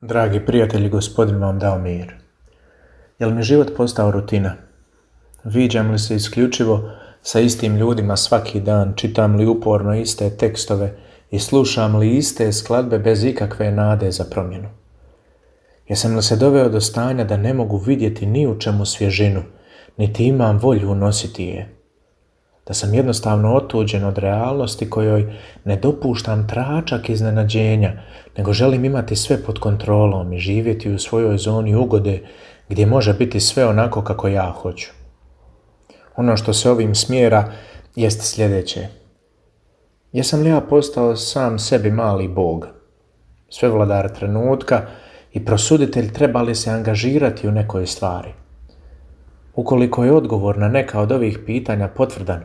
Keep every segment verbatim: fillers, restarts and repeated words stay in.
Dragi prijatelji, Gospodin vam dao mir. Jel mi život postao rutina? Viđam li se isključivo sa istim ljudima svaki dan, čitam li uporno iste tekstove i slušam li iste skladbe bez ikakve nade za promjenu? Jesam li se doveo do stanja da ne mogu vidjeti ni u čemu svježinu, niti imam volju unositi je? Da sam jednostavno otuđen od realnosti kojoj ne dopuštam tračak iznenađenja, nego želim imati sve pod kontrolom i živjeti u svojoj zoni ugode gdje može biti sve onako kako ja hoću. Ono što se ovim smjera jest sljedeće. Jesam li ja postao sam sebi mali bog, svevladar trenutka i prosuditelj treba li se angažirati u nekoj stvari? Ukoliko je odgovor na neka od ovih pitanja potvrdan,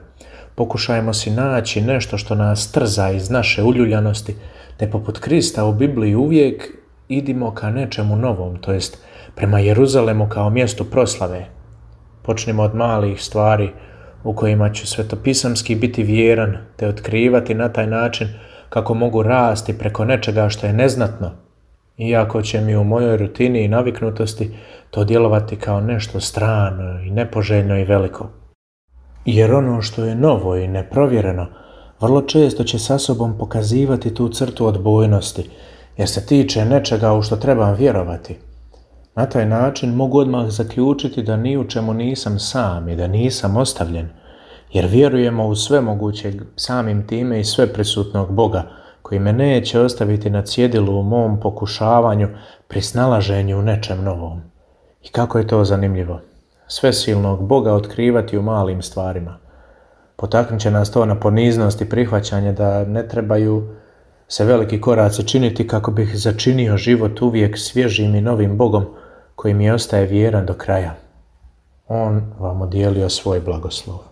pokušajmo si naći nešto što nas trza iz naše uljuljanosti, te poput Krista u Bibliji uvijek idimo ka nečemu novom, to jest prema Jeruzalemu kao mjestu proslave. Počnimo od malih stvari u kojima ću svetopisamski biti vjeran, te otkrivati na taj način kako mogu rasti preko nečega što je neznatno, iako će mi u mojoj rutini i naviknutosti to djelovati kao nešto strano i nepoželjno i veliko. Jer ono što je novo i neprovjereno vrlo često će sa sobom pokazivati tu crtu odbojnosti, jer se tiče nečega u što trebam vjerovati. Na taj način mogu odmah zaključiti da ni u čemu nisam sam i da nisam ostavljen, jer vjerujemo u svemogućeg samim time i sveprisutnog Boga, koji me neće ostaviti na cjedilu u mom pokušavanju pri snalaženju u nečem novom. I kako je to zanimljivo. Svesilnog Boga otkrivati u malim stvarima. Potaknut će nas to na poniznost i prihvaćanje da ne trebaju se veliki koraci činiti kako bih začinio život uvijek svježim i novim Bogom koji mi ostaje vjeran do kraja. On vam odijelio svoj blagoslov.